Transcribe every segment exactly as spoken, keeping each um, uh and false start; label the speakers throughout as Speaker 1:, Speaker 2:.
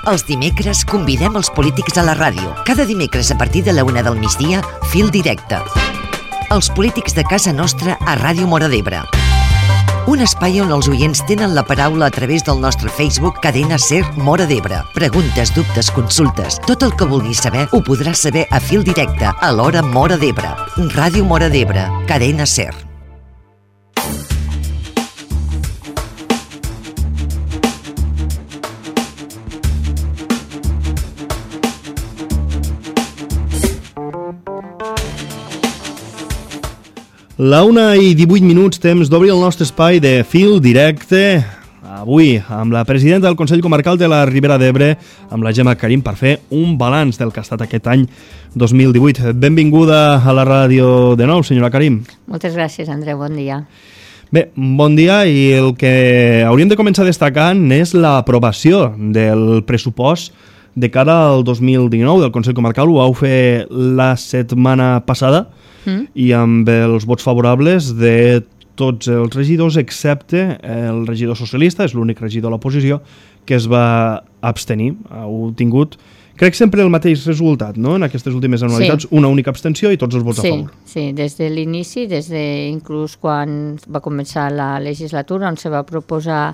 Speaker 1: Els dimecres convidem els polítics a la ràdio. Cada dimecres a partir de la una del migdia, Fil Directe. Els polítics de casa nostra a Ràdio Móra d'Ebre. Un espai on els oients tenen la paraula a través del nostre Facebook Cadena Ser Móra d'Ebre. Preguntes, dubtes, consultes, tot el que vulguis saber ho podràs saber a Fil Directe a l'hora Móra d'Ebre. Ràdio Móra d'Ebre, Cadena Ser.
Speaker 2: La una i divuit minuts, temps d'obrir el nostre espai de Fil Directe. Avui, amb la presidenta del Consell Comarcal de la Ribera d'Ebre, amb la Gemma Karim, per fer un balanç del que ha estat aquest any dos mil divuit. Benvinguda a la ràdio de nou, senyora Karim.
Speaker 3: Moltes gràcies, Andreu. Bon dia.
Speaker 2: Bé, bon dia, i el que hauríem de començar destacant és l'aprovació del pressupost de cara al dos mil dinou del Consell Comarcal. Ho vau fer la setmana passada, Mm. i amb els vots favorables de tots els regidors, excepte el regidor socialista, és l'únic regidor de l'oposició, que es va abstenir. Heu tingut, crec, sempre el mateix resultat, no?, en aquestes últimes anualitats, sí. Una única abstenció i tots els vots
Speaker 3: sí,
Speaker 2: a favor.
Speaker 3: Sí, des de l'inici, des de inclús quan va començar la legislatura, on se va proposar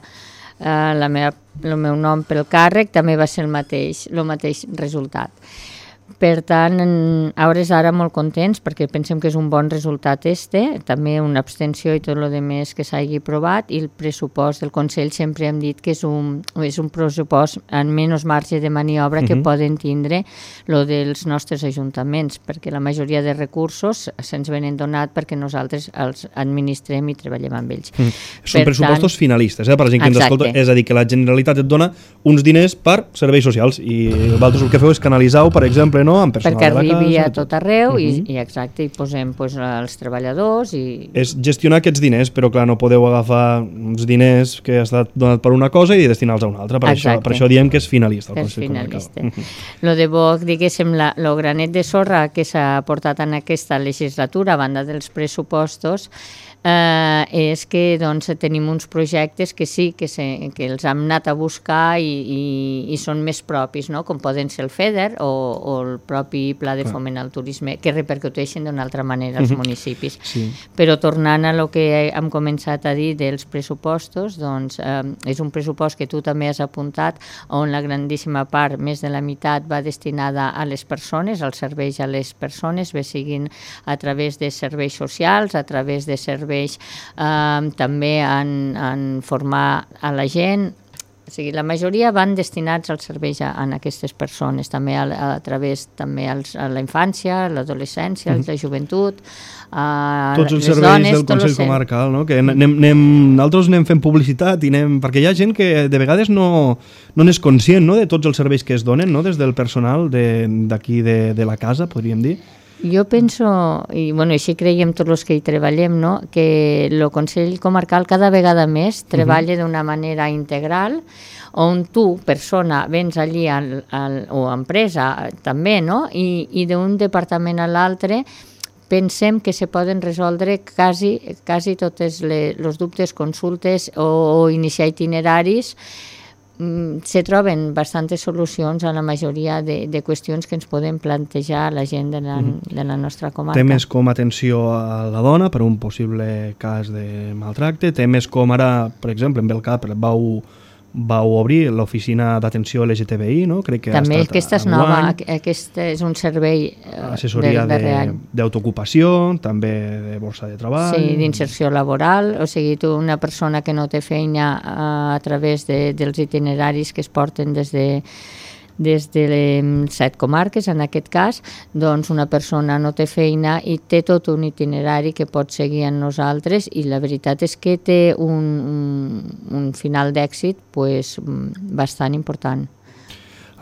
Speaker 3: eh, la meva, el meu nom pel càrrec, també va ser el mateix, el mateix resultat. Per tant, a hores d'ara molt contents perquè pensem que és un bon resultat este, també una abstenció i tot el que que s'hagi aprovat, i el pressupost del Consell sempre hem dit que és un, és un pressupost amb menys marge de maniobra que uh-huh. poden tindre lo dels nostres ajuntaments, perquè la majoria de recursos se'ns venen donat perquè nosaltres els administrem i treballem amb ells. Uh-huh.
Speaker 2: Són per pressupostos tant, finalistes, eh, per la gent que ens escolta, és a dir, que la Generalitat et dona uns diners per serveis socials i vosaltres el que feu és canalitzar-ho, per exemple, no?
Speaker 3: Perquè arribi a tot arreu, uh-huh. i, i exacte, i posem pues, els treballadors i...
Speaker 2: És gestionar aquests diners, però clar, no podeu agafar uns diners que ha estat donat per una cosa i destinar-los a una altra, per, això, per això diem que és finalista.
Speaker 3: És finalista. Uh-huh. Lo de bo, diguéssim, la, lo granet de sorra que s'ha portat en aquesta legislatura a banda dels pressupostos eh, és que doncs, tenim uns projectes que sí, que, se, que els hem anat a buscar i, i, i són més propis, no?, com poden ser el FEDER o, o el propi Pla de Foment al Turisme, que repercuteixen d'una altra manera als uh-huh. municipis. Sí. Però tornant a lo que hem començat a dir dels pressupostos, doncs eh, és un pressupost que tu també has apuntat, on la grandíssima part, més de la meitat, va destinada a les persones, als serveis a les persones, bé siguin a través de serveis socials, a través de serveis Eh, també en, en formar a la gent. O sigui, la majoria van destinats als serveis a, a aquestes persones, també a, a través també als, a la infància, a l'adolescència, mm. a la joventut, a
Speaker 2: tots els
Speaker 3: les
Speaker 2: serveis
Speaker 3: dones,
Speaker 2: del Consell Comarcal, no? Que anem, anem, nosaltres anem fent publicitat i anem, perquè hi ha gent que de vegades no, no n'és conscient, no?, de tots els serveis que es donen, no?, des del personal d'aquí de, de, de la casa, podríem dir.
Speaker 3: Jo penso, i bueno, així creiem tots els que hi treballem, no?, que el Consell Comarcal cada vegada més treballa uh-huh. d'una manera integral, on tu, persona, vens allí al, al, o empresa també, no?, i, i d'un departament a l'altre pensem que se poden resoldre quasi, quasi totes els dubtes, consultes o, o iniciar itineraris. Se troben bastantes solucions a la majoria de, de qüestions que ens podem plantejar a la gent de la, de la nostra comarca.
Speaker 2: Temes com atenció a la dona per un possible cas de maltracte, temes com ara, per exemple, en Belcap vau, vau obrir l'oficina d'atenció L G T B I, no? Crec que
Speaker 3: també
Speaker 2: ha estat
Speaker 3: aquesta és nova, aquest és un servei
Speaker 2: assessoria d'autoocupació, també de borsa de treball.
Speaker 3: Sí, d'inserció laboral, o sigui, tu, una persona que no té feina a, a través de, dels itineraris que es porten des de des de les set comarques, en aquest cas, doncs una persona no té feina i té tot un itinerari que pot seguir amb nosaltres, i la veritat és que té un, un, un final d'èxit pues, bastant important.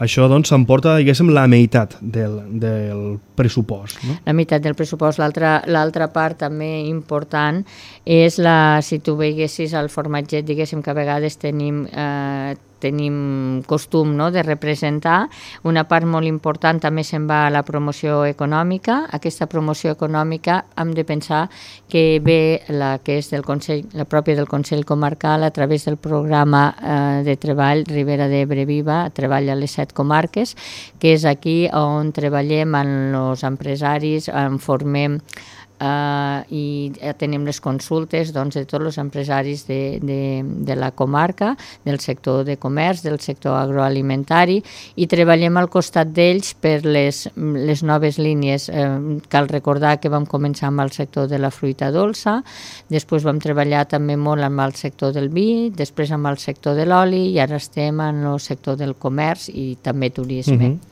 Speaker 2: Això doncs s'emporta, diguéssim, la meitat del, del pressupost, no?
Speaker 3: La meitat del pressupost. L'altra part també important és la, si tu veiessis el formatget, diguéssim que a vegades tenim eh, tenim costum, no?, de representar. Una part molt important també se'n va a la promoció econòmica. Aquesta promoció econòmica hem de pensar que ve la que és del Consell, la pròpia del Consell Comarcal a través del programa eh, de treball Ribera d'Ebre Viva, treball a les set comarques, que és aquí on treballem amb els empresaris, en formem Uh, i tenim les consultes, doncs, de tots els empresaris de, de, de la comarca, del sector de comerç, del sector agroalimentari, i treballem al costat d'ells per les, les noves línies. Uh, cal recordar que vam començar amb el sector de la fruita dolça, després vam treballar també molt amb el sector del vi, després amb el sector de l'oli, i ara estem en el sector del comerç i també turisme.
Speaker 2: Mm-hmm.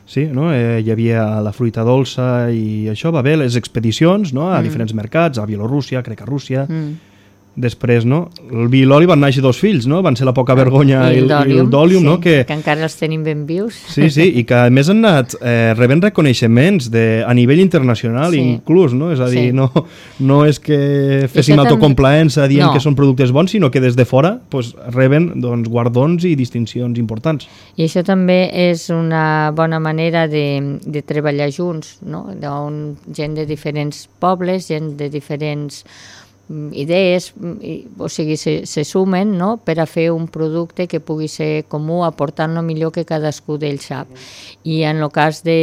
Speaker 2: Sí, no? eh, hi havia la fruita dolça i això va bé, les expedicions, no?, a mm. diferents mercats, a Bielorússia, crec a Rússia. Mm. Després, no?, el vi i l'oli van néixer dos fills, no?, van ser la Poca Vergonya i, i el d'Òlium,
Speaker 3: sí,
Speaker 2: no?, que...
Speaker 3: que encara els tenim ben vius.
Speaker 2: Sí, sí, i que a més han anat eh, rebent reconeixements de, a nivell internacional, sí. inclús, no?, és a dir, sí. no, no és que féssim autocomplaença dient no. que són productes bons, sinó que des de fora pues, reben doncs, guardons i distincions importants.
Speaker 3: I això també és una bona manera de, de treballar junts, no?, d'on gent de diferents pobles, gent de diferents idees, o sigui, se, se sumen, no?, per a fer un producte que pugui ser comú, aportant el millor que cadascú d'ells sap. I en el cas de,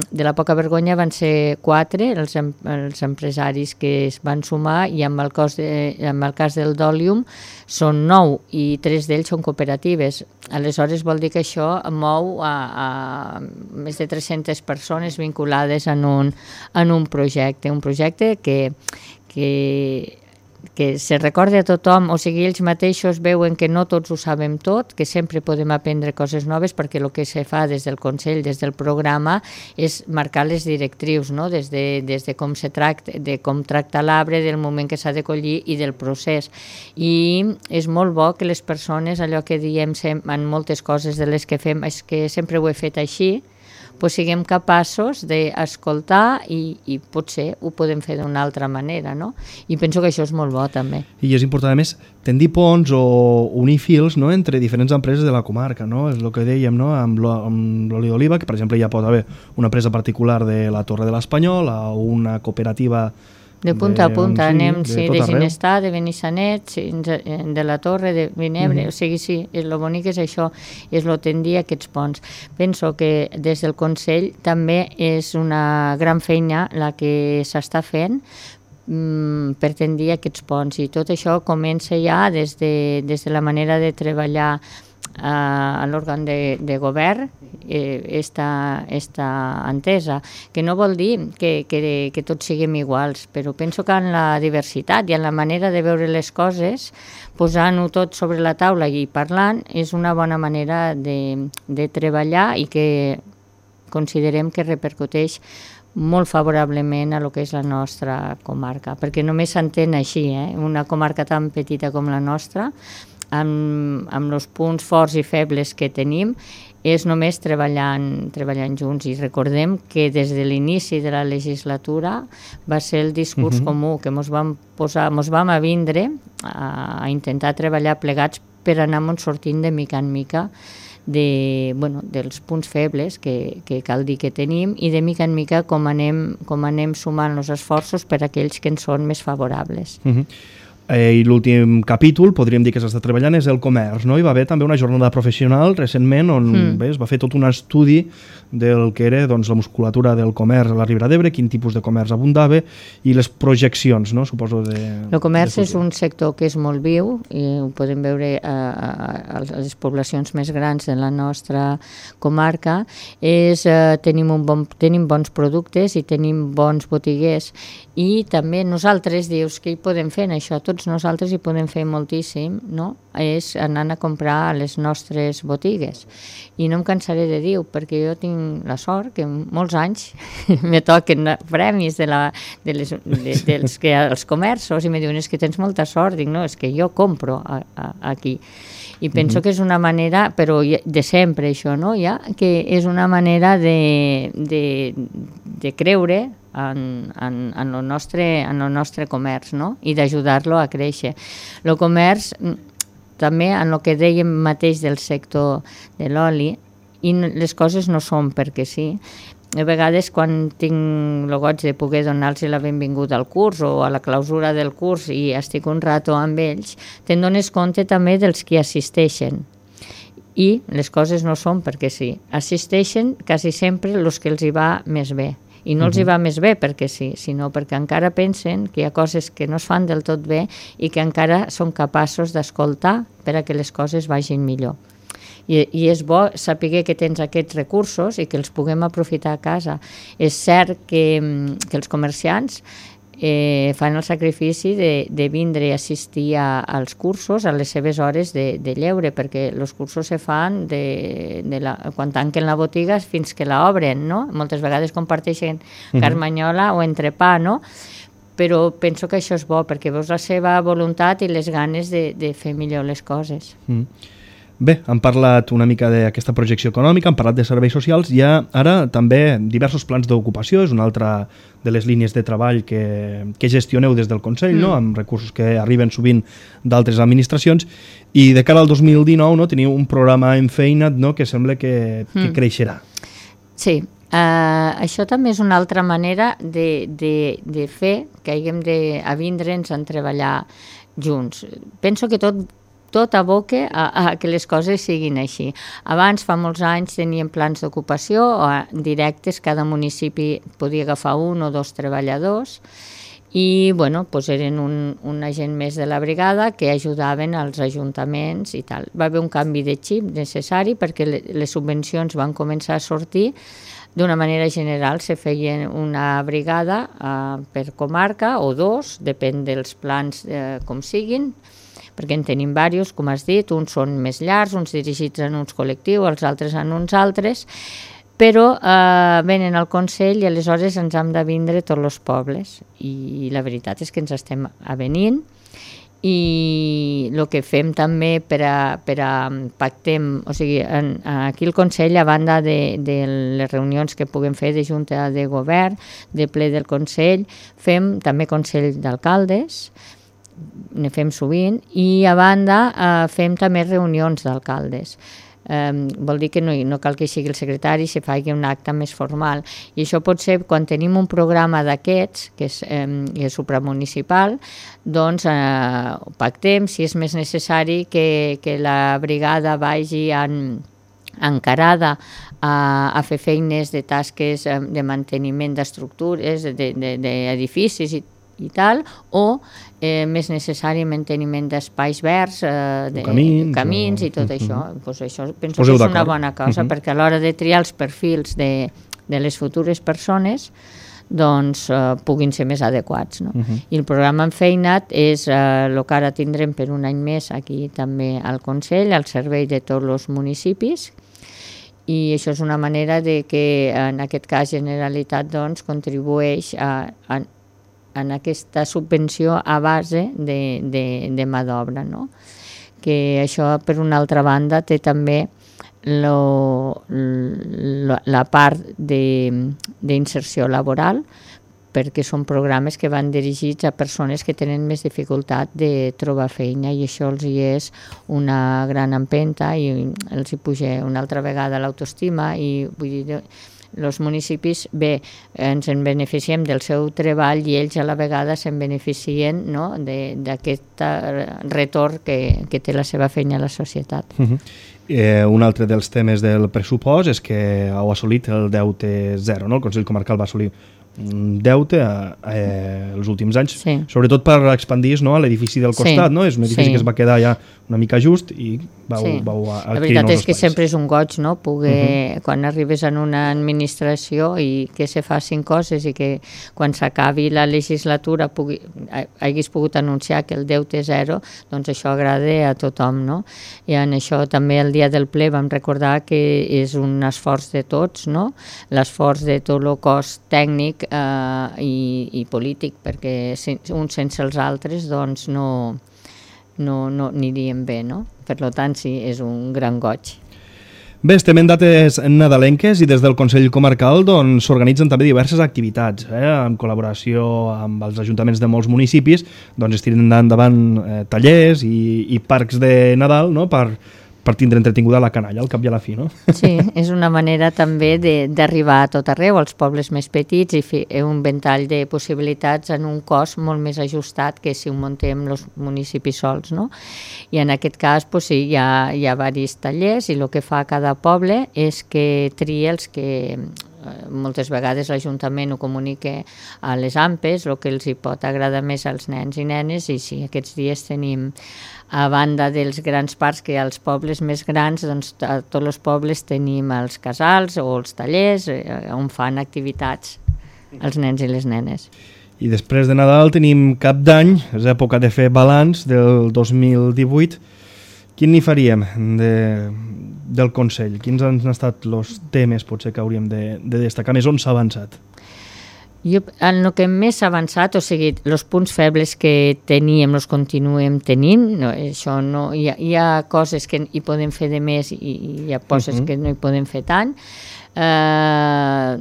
Speaker 3: de la Poca Vergonya van ser quatre els, els empresaris que es van sumar, i amb el, cos de, amb el cas del d'Òlium són nou, i tres d'ells són cooperatives. Aleshores vol dir que això mou a, a més de tres-centes persones vinculades en un, en un projecte, un projecte que, que que se recorda a tothom, o sigui, ells mateixos veuen que no tots ho sabem tot, que sempre podem aprendre coses noves, perquè el que se fa des del Consell, des del programa, és marcar les directrius, no?, des de, des de com se tracta, de com tracta l'arbre, del moment que s'ha de collir i del procés. I és molt bo que les persones, allò que diem en moltes coses de les que fem, és que sempre ho he fet així, pues siguem capaços d'escoltar i, i potser ho podem fer d'una altra manera, no? I penso que això és molt bo, també.
Speaker 2: I és important, a més, tendir ponts o unir fils, no?, entre diferents empreses de la comarca, no? És el que dèiem, no?, amb l'oli d'oliva, que per exemple ja pot haver una empresa particular de la Torre de l'Espanyol o una cooperativa
Speaker 3: de punta de, a punta, sí, anem de, sí, de Ginestar, de Benissanet, sí, de la Torre, de Vinebre, mm-hmm. o sigui, sí, el bonic és això, és el tendir aquests ponts. Penso que des del Consell també és una gran feina la que s'està fent mm, per tendir aquests ponts, i tot això comença ja des de, des de la manera de treballar a l'òrgan de, de govern, eh, esta, esta entesa, que no vol dir que, que, que tots siguem iguals, però penso que en la diversitat i en la manera de veure les coses, posant-ho tot sobre la taula i parlant, és una bona manera de, de treballar i que considerem que repercuteix molt favorablement a lo que és la nostra comarca, perquè només s'entén així, eh? Una comarca tan petita com la nostra, amb, amb els punts forts i febles que tenim, és només treballant, treballant junts. I recordem que des de l'inici de la legislatura va ser el discurs uh-huh. comú, que ens vam posar, ens vam avindre a, a intentar treballar plegats per anar-nos sortint de mica en mica de, bueno, dels punts febles que, que cal dir que tenim, i de mica en mica com anem, com anem sumant els esforços per a aquells que ens són més favorables.
Speaker 2: Uh-huh. Eh, I l'últim capítol, podríem dir que s'està treballant, és el comerç, no? Hi va haver també una jornada professional recentment on mm. bé, es va fer tot un estudi del que era doncs, la musculatura del comerç a la Ribera d'Ebre, quin tipus de comerç abundava i les projeccions, no? Suposo de...
Speaker 3: El comerç de és un sector que és molt viu, i ho podem veure a, a, a les poblacions més grans de la nostra comarca. És, eh, tenim, un bon, tenim bons productes i tenim bons botiguers, i també nosaltres, dius, què hi podem fer en això? Tots nosaltres hi podem fer moltíssim, no? És anar a comprar a les nostres botigues. I no em cansaré de dir, perquè jo tinc la sort que molts anys me toquen premis de la, de les, de, dels que els comerços, i me diuen, és que tens molta sort. Dic, no, és que jo compro a, a, aquí. I penso mm-hmm. que és una manera, però de sempre això, no? Ja, que és una manera de, de, de creure en, en, en, el nostre, en el nostre comerç, no? I d'ajudar-lo a créixer. El comerç també en el que dèiem mateix del sector de l'oli, i les coses no són perquè sí. A vegades quan tinc el goig de poder donar-los la benvinguda al curs o a la clausura del curs i estic un rato amb ells, te'n dones compte també dels que assisteixen. I les coses no són perquè sí. Assisteixen quasi sempre els que els hi va més bé. I no els hi va més bé perquè sí, sinó perquè encara pensen que hi ha coses que no es fan del tot bé i que encara són capaços d'escoltar per a que les coses vagin millor. I, i és bo saber que tens aquests recursos i que els puguem aprofitar a casa. És cert que, que els comerciants eh, fan el sacrifici de, de vindre i assistir a, als cursos a les seves hores de, de lleure, perquè els cursos se fan de, de la, quan tanquen la botiga fins que la obren, no? Moltes vegades comparteixen carmanyola o entrepà, no? Però penso que això és bo, perquè veus la seva voluntat i les ganes de, de fer millor les coses.
Speaker 2: Mm. Bé, hem parlat una mica d'aquesta projecció econòmica, hem parlat de serveis socials, hi ha ara també diversos plans d'ocupació, és una altra de les línies de treball que, que gestioneu des del Consell, mm. no? Amb recursos que arriben sovint d'altres administracions, i de cara al dos mil dinou no? Teniu un programa enfeinat, no? Que sembla que, que mm. creixerà.
Speaker 3: Sí, uh, això també és una altra manera de, de, de fer que haguem d'avindre'ns a treballar junts. Penso que tot tot aboca a, a que les coses siguin així. Abans, fa molts anys, teníem plans d'ocupació directes, cada municipi podia agafar un o dos treballadors i bueno, doncs eren un, un agent més de la brigada que ajudaven als ajuntaments i tal. Va haver un canvi de xip necessari perquè les subvencions van començar a sortir d'una manera general. Se feia una brigada eh, per comarca o dos, depèn dels plans eh, com siguin, perquè en tenim diversos, com has dit, uns són més llargs, uns dirigits en uns col·lectius, els altres en uns altres, però eh, venen al Consell i aleshores ens hem de vindre tots els pobles i la veritat és que ens estem avenint i el que fem també per a, per a pactem, o sigui, en, aquí al Consell, a banda de, de les reunions que puguem fer de Junta de Govern, de ple del Consell, fem també Consell d'Alcaldes, ne fem sovint, i a banda eh, fem també reunions d'alcaldes. Eh, vol dir que no, no cal que sigui el secretari, se faci un acte més formal. I això pot ser quan tenim un programa d'aquests, que és, eh, és supramunicipal, doncs eh, pactem, si és més necessari que, que la brigada vagi en, encarada a, a fer feines de tasques de manteniment d'estructures, d'edificis i i tal, o eh, més necessari manteniment d'espais verds, eh, de camins, camins o... i tot uh-huh. això. Pues això penso Poseu que és una bona cosa, uh-huh. perquè a l'hora de triar els perfils de, de les futures persones doncs eh, puguin ser més adequats. No? Uh-huh. I el programa Enfeinat és eh, el que ara tindrem per un any més aquí també al Consell, al servei de tots els municipis, i això és una manera de que en aquest cas Generalitat doncs, contribueix a, a en aquesta subvenció a base de, de, de mà d'obra, no? Que això, per una altra banda, té també lo, lo, la part d'inserció laboral, perquè són programes que van dirigits a persones que tenen més dificultat de trobar feina i això els hi és una gran empenta i els hi puja una altra vegada l'autoestima i vull dir... Els municipis, bé, ens en beneficiem del seu treball i ells a la vegada se'n beneficien no? d'aquest retorn que, que té la seva feina a la societat.
Speaker 2: Uh-huh. eh, un altre dels temes del pressupost és que heu assolit el deute zero, no? El Consell Comarcal va assolir un deute eh, els últims anys, sí. Sobretot per expandir no, a l'edifici del costat, sí. No? És un edifici sí. que es va quedar ja una mica just i vau, sí. vau adquirir nous espais. La veritat és
Speaker 3: que sempre és un goig, no? Poder, uh-huh. quan arribes en una administració i que se facin coses i que quan s'acabi la legislatura pugui, haguis pogut anunciar que el deute és zero, doncs això agrada a tothom, no? I en això també el dia del ple vam recordar que és un esforç de tots, no? L'esforç de tot el cos tècnic eh, i, i polític, perquè uns sense els altres doncs no, no, no aniríem bé, no? Per tant, sí, és un gran goig.
Speaker 2: Bé, estem en dates nadalenques i des del Consell Comarcal doncs, s'organitzen també diverses activitats, eh? En col·laboració amb els ajuntaments de molts municipis, doncs es tiren endavant eh, tallers i, i parcs de Nadal, no?, per, per tindre entretinguda la canalla, al cap i a la fi, no?
Speaker 3: Sí, és una manera també d'arribar a tot arreu, als pobles més petits, i fer un ventall de possibilitats en un cost molt més ajustat que si ho muntem els municipis sols, no? I en aquest cas, pues, sí, hi ha, hi ha diversos tallers i el que fa cada poble és que tria els que moltes vegades l'Ajuntament ho comunica a les A M P Es, el que els hi pot agradar més als nens i nenes, i sí, aquests dies tenim, a banda dels grans parcs que als pobles més grans, doncs a tots els pobles tenim els casals o els tallers on fan activitats els nens i les nenes.
Speaker 2: I després de Nadal tenim Cap d'Any, és època de fer balanç del dos mil divuit. Quin n'hi faríem de, del Consell? Quins han estat els temes potser que hauríem de, de destacar més? On s'ha avançat?
Speaker 3: Jo, en el que més s'ha avançat, o sigui, els punts febles que teníem els continuem tenint, no, això no, hi, ha, hi ha coses que hi podem fer de més i hi ha coses uh-huh. que no hi podem fer tant. Eh,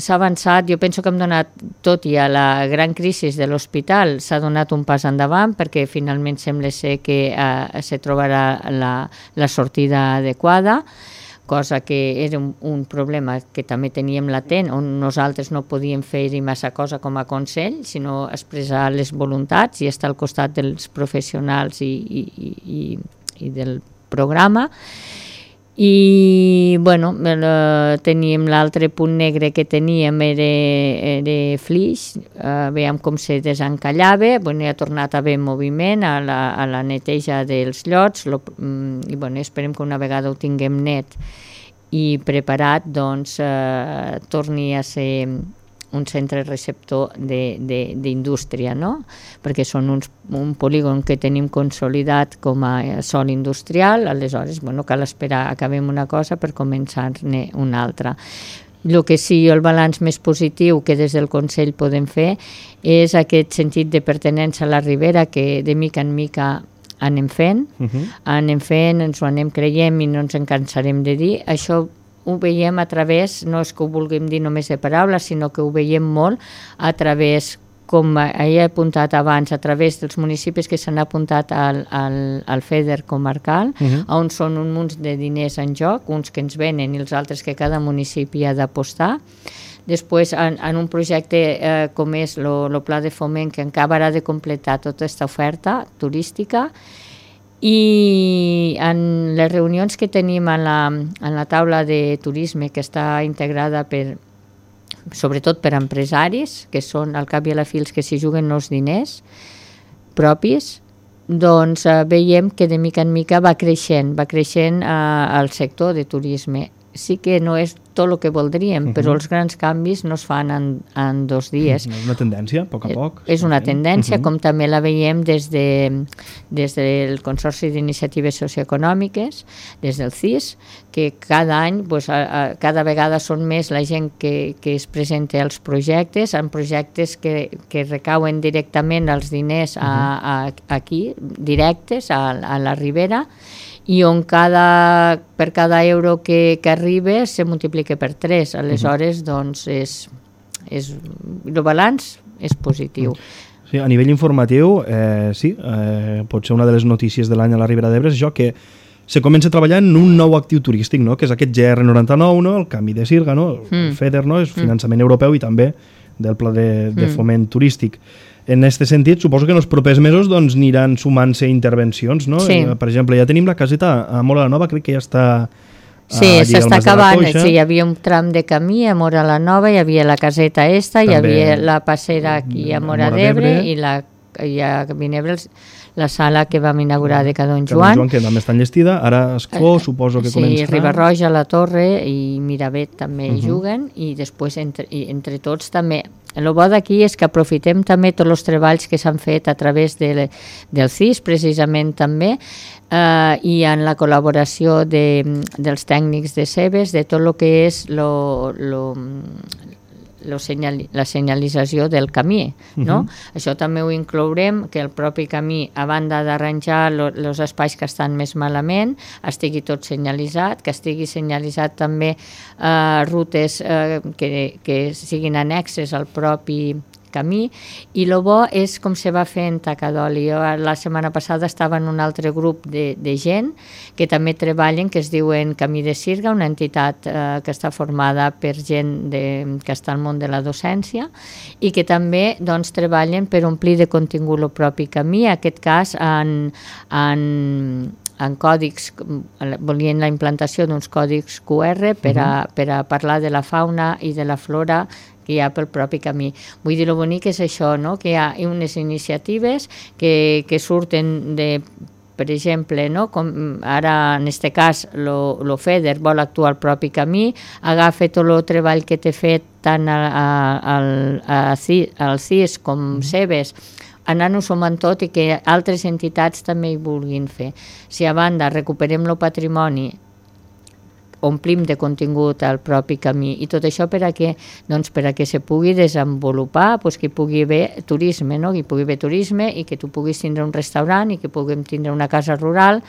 Speaker 3: s'ha avançat, jo penso que hem donat, tot i a la gran crisi de l'hospital, s'ha donat un pas endavant perquè finalment sembla ser que eh, se trobarà la, la sortida adequada, cosa que era un, un problema que també teníem latent, on nosaltres no podíem fer-hi massa cosa com a Consell, sinó expressar les voluntats i estar al costat dels professionals i, i, i, i del programa. I, bueno, teníem l'altre punt negre que teníem era, era flix, uh, veiem com se desencallava, bueno, ha tornat a haver moviment a la, a la neteja dels llots, lo, i bueno, esperem que una vegada ho tinguem net i preparat, doncs eh, torni a ser un centre receptor d'indústria, no? Perquè són uns, un polígon que tenim consolidat com a sòl industrial, aleshores, bueno, cal esperar, acabem una cosa per començar-ne una altra. El que sí, el balanç més positiu que des del Consell podem fer és aquest sentit de pertinença a la Ribera que de mica en mica anem fent, uh-huh. anem fent, ens ho anem creiem i no ens en cansarem de dir. Això ho veiem a través, no és que ho vulguem dir només de paraules, sinó que ho veiem molt a través, com he apuntat abans, a través dels municipis que s'han apuntat al, al, al FEDER comarcal, uh-huh. on són un munt de diners en joc, uns que ens venen i els altres que cada municipi ha d'apostar. Després, en, en un projecte eh, com és el Pla de Foment, que acabarà de completar tota aquesta oferta turística, i en les reunions que tenim en la, en la taula de turisme, que està integrada per, sobretot per empresaris, que són al cap i a la fi els que s'hi juguen els diners propis, doncs eh, veiem que de mica en mica va creixent, va creixent eh, el sector de turisme. Sí que no és tot el que voldríem, uh-huh. però els grans canvis no es fan en, en dos dies.
Speaker 2: És una tendència, a poc a poc.
Speaker 3: És una tendència, uh-huh. com també la veiem des, de, des del Consorci d'Iniciatives Socioeconòmiques, des del C I S, que cada any, pues, a, a, cada vegada són més la gent que, que es presenta als projectes, en projectes que, que recauen directament els diners a, a, aquí, directes, a, a la Ribera, i on cada, per cada euro que, que arriba se multiplica per tres. Aleshores, doncs, és, és, el balanç és positiu.
Speaker 2: Sí, a nivell informatiu, eh, sí, eh, pot ser una de les notícies de l'any a la Ribera d'Ebre, és això que se comença a treballar en un nou actiu turístic, no? Que és aquest G R noranta-nou, no? El canvi de Sirga, no? El mm. FEDER, no? És finançament mm. europeu i també del Pla de, de foment mm. turístic. En aquest sentit, suposo que en els propers mesos doncs, aniran sumant-se intervencions, no?
Speaker 3: Sí.
Speaker 2: Per exemple, ja tenim la caseta a Móra la Nova, crec que ja està...
Speaker 3: Sí, s'està acabant. Sí, hi havia un tram de camí a Móra la Nova, hi havia la caseta esta, també hi havia la passera aquí a Móra d'Ebre i la, i a Vinebre la sala que vam inaugurar de Cadon Joan.
Speaker 2: Cadon Joan, que també està enllestida, ara Escó, uh, suposo que
Speaker 3: sí,
Speaker 2: començarà.
Speaker 3: Sí, Ribarroja, La Torre i Miravet també uh -huh. juguen, i després entre, i entre tots també. El bo d'aquí és que aprofitem també tots els treballs que s'han fet a través de, del C I S, precisament també, eh, i en la col·laboració de, dels tècnics de Cebes, de tot el que és lo, lo, lo senyal, la senyalització del camí, no? Uh-huh. Això també ho inclourem, que el propi camí, a banda d'arranjar els espais que estan més malament, estigui tot senyalitzat, que estigui senyalitzat també eh, rutes eh, que, que siguin annexes al propi camí, i el bo és com se va fer en Tacadoli. Jo la setmana passada estava en un altre grup de, de gent que també treballen, que es diuen Camí de Sirga, una entitat eh, que està formada per gent de, que està al món de la docència i que també doncs, treballen per omplir de contingut el propi camí, en aquest cas en, en en còdics, volien la implantació d'uns còdics Q R per a, per a parlar de la fauna i de la flora que hi ha pel propi camí. Vull dir, el bonic és això, no? Que hi ha unes iniciatives que, que surten de, per exemple, no? Com ara en aquest cas el FEDER vol actuar al propi camí, agafa tot el treball que té fet tant al C I S com Cebes, anant-ho sumant tot i que altres entitats també hi vulguin fer. Si a banda recuperem el patrimoni, omplim de contingut al propi camí i tot això per a què? Doncs per a que se pugui desenvolupar, doncs que hi pugui haver turisme, no? Que hi pugui haver turisme i que tu puguis tindre un restaurant i que puguem tindre una casa rural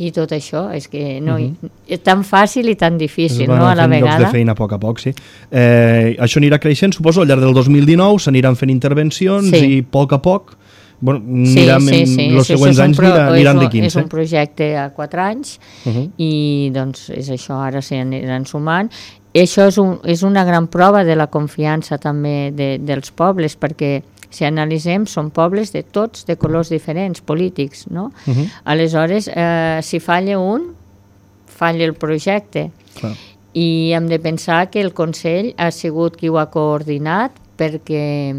Speaker 3: i tot això, és que no, uh-huh. és tan fàcil i tan difícil, no, a la vegada.
Speaker 2: Llocs de feina a poc a poc, sí. Eh, això anirà creixent, suposo, al llarg del dos mil dinou s'aniran fent intervencions sí. i a poc a poc bueno, aniran, sí, sí, sí. els sí, següents anys pro, aniran de quinze.
Speaker 3: És un projecte a quatre anys uh-huh. i doncs és això, ara s'hi aniran sumant. I això és, un, és una gran prova de la confiança també de, dels pobles, perquè si analitzem, són pobles de tots, de colors diferents, polítics, no? Uh-huh. Aleshores, eh, si falla un, falla el projecte. Clar. I hem de pensar que el Consell ha sigut qui ho ha coordinat perquè,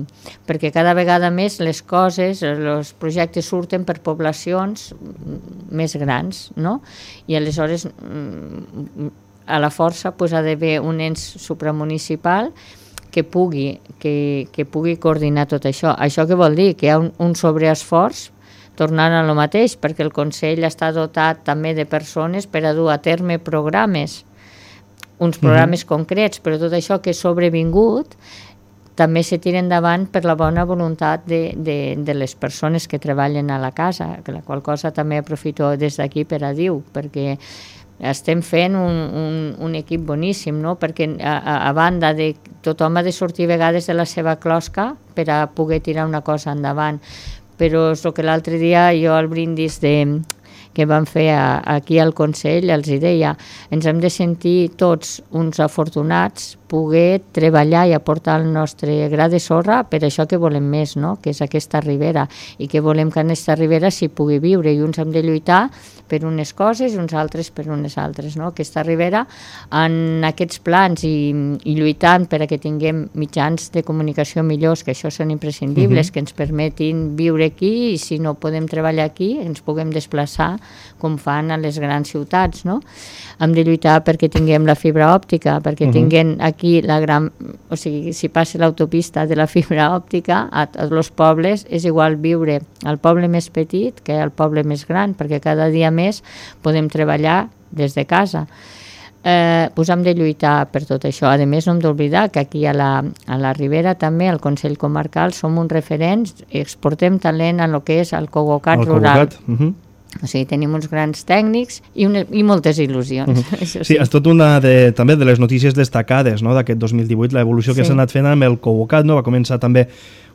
Speaker 3: perquè cada vegada més les coses, els projectes surten per poblacions més grans, no? I aleshores, a la força, pues, ha d'haver un ens supramunicipal que pugui, que, que pugui coordinar tot això. Això què vol dir? Que hi ha un, un sobreesforç tornant a lo mateix, perquè el Consell està dotat també de persones per a dur a terme programes, uns programes uh-huh. concrets, però tot això que és sobrevingut també se tira endavant per la bona voluntat de, de, de les persones que treballen a la casa, que la qual cosa també aprofito des d'aquí per a dir, perquè estem fent un, un, un equip boníssim, no? Perquè a, a, a banda de tothom ha de sortir a vegades de la seva closca per a poder tirar una cosa endavant, però és el que l'altre dia jo al brindis de, que vam fer a, aquí al Consell els hi deia, ens hem de sentir tots uns afortunats poder treballar i aportar el nostre gra de sorra per això que volem més, no? Que és aquesta ribera, i que volem que en aquesta ribera s'hi pugui viure, i uns hem de lluitar per unes coses i uns altres per unes altres, no? Aquesta ribera en aquests plans i, i lluitant per a que tinguem mitjans de comunicació millors, que això són imprescindibles, uh-huh. que ens permetin viure aquí i si no podem treballar aquí ens puguem desplaçar com fan a les grans ciutats, no? Hem de lluitar perquè tinguem la fibra òptica, perquè uh-huh. tinguem aquí la gran... O sigui, si passa l'autopista de la fibra òptica, a tots els pobles és igual viure al poble més petit que al poble més gran, perquè cada dia més podem treballar des de casa. Eh, doncs hem de lluitar per tot això. A més, no hem d'oblidar que aquí a la, a la Ribera també, al Consell Comarcal, som uns referents, exportem talent en el que és el Cogocat el rural. Cogocat, uh-huh. O sigui, tenim uns grans tècnics i, una, i moltes il·lusions. Uh-huh. Això sí, sí, és tot una de, també de les notícies destacades, no?, d'aquest dos mil divuit, l'evolució sí. que s'ha anat fent amb el Cogocat, no? Va començar també,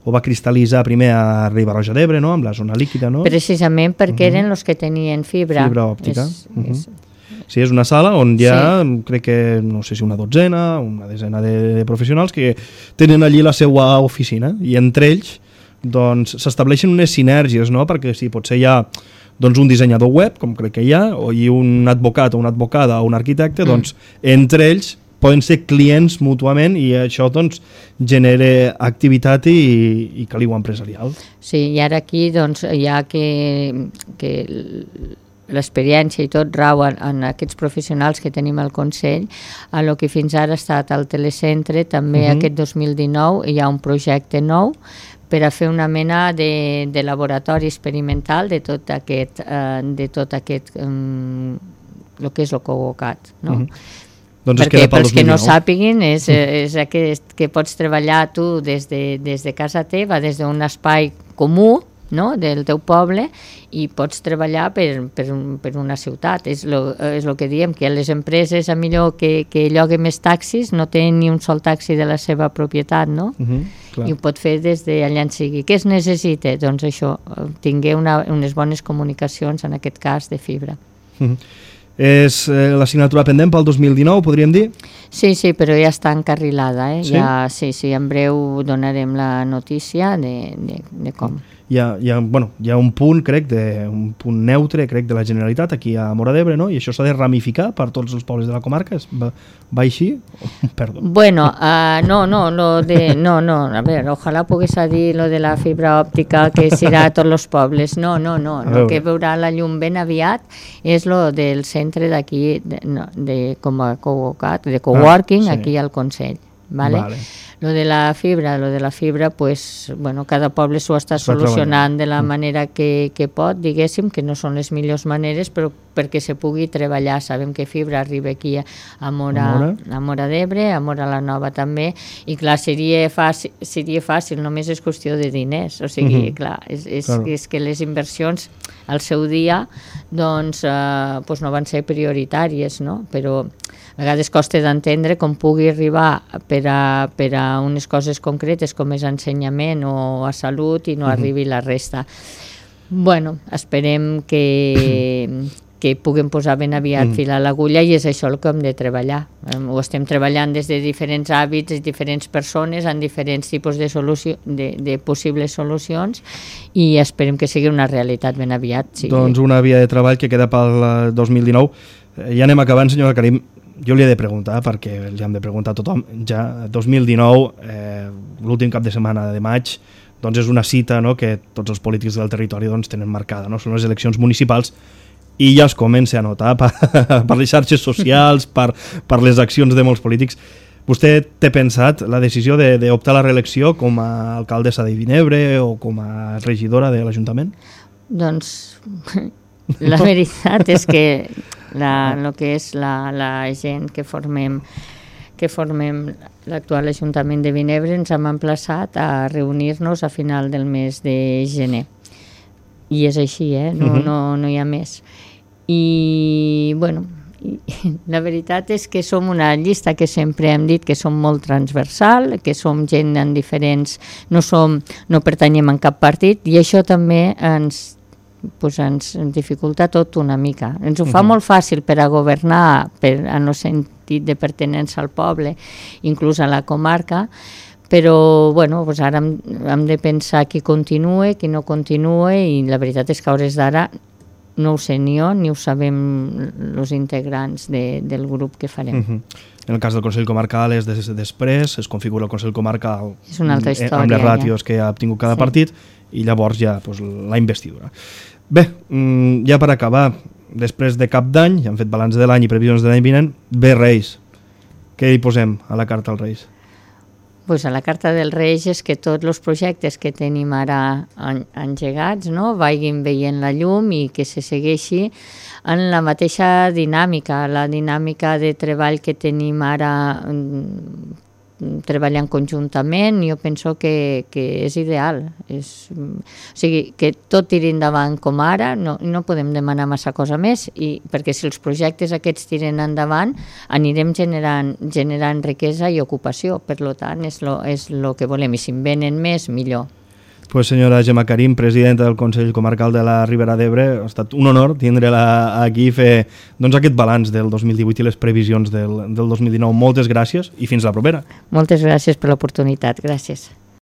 Speaker 3: o va cristal·litzar primer a Riba-roja d'Ebre, no?, amb la zona líquida, no? Precisament perquè uh-huh. eren els que tenien fibra. Fibra òptica. És, uh-huh. és... Sí, és una sala on hi ha, sí. crec que, no sé si una dotzena, una desena de, de professionals que tenen allí la seva oficina, i entre ells doncs s'estableixen unes sinergies, no?, perquè si potser hi ha doncs un dissenyador web, com crec que hi ha, o hi ha un advocat o una advocada o un arquitecte, mm. doncs entre ells poden ser clients mútuament i això doncs genera activitat i, i caliu empresarial. Sí, i ara aquí doncs hi ha que, que l'experiència i tot rau en, en aquests professionals que tenim al Consell, a lo que fins ara ha estat al telecentre, també uh-huh. aquest dos mil dinou hi ha un projecte nou per a fer una mena de, de laboratori experimental de tot aquest, eh, de tot aquest um, el que és el Cogocat, no? Uh-huh.
Speaker 2: Doncs
Speaker 3: perquè pels que no sàpiguin és, és aquest que pots treballar tu des de, des de casa teva, des d'un espai comú, no?, del teu poble, i pots treballar per, per, per una ciutat. És lo, és lo que diem, que les empreses, a millor que, que lloguen més taxis, no tenen ni un sol taxi de la seva propietat, no? Uh-huh, clar. I ho pot fer des d'allà en sigui. Què es necessita? Doncs això, tingué una, unes bones comunicacions, en aquest cas, de fibra.
Speaker 2: Uh-huh. És eh, l'assignatura pendent pel dos mil dinou, podríem dir?
Speaker 3: Sí, sí, però ja està encarrilada. Eh?
Speaker 2: Sí?
Speaker 3: Ja, sí, sí, en breu donarem la notícia de, de, de com.
Speaker 2: Hi ha, hi, ha, bueno, hi ha un punt, crec, de, un punt neutre, crec, de la Generalitat aquí a Móra d'Ebre, no? I això s'ha de ramificar per tots els pobles de la comarca. Va, va així? Perdó.
Speaker 3: Bueno, uh, no, no, lo de, no, no, a veure, ojalà pogués dir lo de la fibra òptica que serà a tots els pobles. No, no, no, el que veurà la llum ben aviat és lo del centre d'aquí, de, no, de, com a co-working, de coworking, ah, sí, aquí al Consell. Vale? Vale. Lo de la fibra, lo de la fibra, pues, bueno, cada poble s'ho està solucionant de la manera que, que pot, diguéssim, que no són les millors maneres, però perquè se pugui treballar. Sabem que fibra arriba aquí a Móra, a Móra d'Ebre, a Móra la Nova també, i clar, seria fàcil, seria fàcil, només és qüestió de diners, o sigui, uh-huh. clar, és, és, claro. és que les inversions al seu dia, doncs, eh, pues no van ser prioritàries, no?, però a vegades costa d'entendre com pugui arribar per a, per a unes coses concretes com és ensenyament o a salut i no uh-huh. arribi la resta. Bueno, esperem que, que puguem posar ben aviat uh-huh. fil a l'agulla, i és això el que hem de treballar. Ho estem treballant des de diferents hàbits, de diferents persones, en diferents tipus de, solució, de, de possibles solucions, i esperem que sigui una realitat ben aviat. Sí.
Speaker 2: Doncs una via de treball que queda pel dos mil dinou. Ja anem acabant, senyora Karim. Jo li he de preguntar, perquè li hem de preguntar a tothom, ja dos mil dinou, eh, l'últim cap de setmana de maig, doncs és una cita, no?, que tots els polítics del territori doncs, tenen marcada, no? Són les eleccions municipals, i ja es comença a notar per, per les xarxes socials, per, per les accions de molts polítics. Vostè té pensat la decisió d'optar a la reelecció com a alcaldessa de Vinebre o com a regidora de l'Ajuntament?
Speaker 3: Doncs la veritat és que la, lo que és la, la gent que formem que formem l'actual Ajuntament de Vinebre ens hem emplaçat a reunir-nos a final del mes de gener. I és així, eh? No, uh-huh. no, no hi ha més. I, bueno, i, la veritat és que som una llista que sempre hem dit que som molt transversal, que som gent en diferents... No, som, no pertanyem en cap partit, i això també ens pues ens dificulta tot una mica. Ens ho fa uh-huh. molt fàcil per a governar, per, en el sentit de pertinença al poble, inclús a la comarca, però bueno, pues ara hem, hem de pensar qui continua, qui no continua, i la veritat és que a hores d'ara no ho sé ni jo, ni ho sabem els integrants de, del grup que farem. Uh-huh.
Speaker 2: En el cas del Consell Comarcal és des, després, es configura el Consell Comarcal
Speaker 3: és una altra història,
Speaker 2: amb les ràtios ja. que ha obtingut cada sí. partit, i llavors ja pues, la investidura. Bé, ja per acabar, després de cap d'any, ja hem fet balanç de l'any i previsions de l'any vinent, ve Reis. Què hi posem a la carta als Reis?
Speaker 3: Pues a la carta dels Reis és que tots els projectes que tenim ara engegats, no?, vagin veient la llum i que se segueixi en la mateixa dinàmica, la dinàmica de treball que tenim ara treballant conjuntament. Jo penso que, que és ideal. És, o sigui, que tot tiri endavant com ara, no, no podem demanar massa cosa més, i, perquè si els projectes aquests tiren endavant, anirem generant, generant riquesa i ocupació. Per tant, és lo, és lo que volem, i si en venen més, millor.
Speaker 2: Pues senyora Gemma Karim, presidenta del Consell Comarcal de la Ribera d'Ebre, ha estat un honor tindre-la aquí i fer doncs, aquest balanç del dos mil divuit i les previsions del, del dos mil dinou. Moltes gràcies i fins la propera.
Speaker 3: Moltes gràcies per l'oportunitat. Gràcies.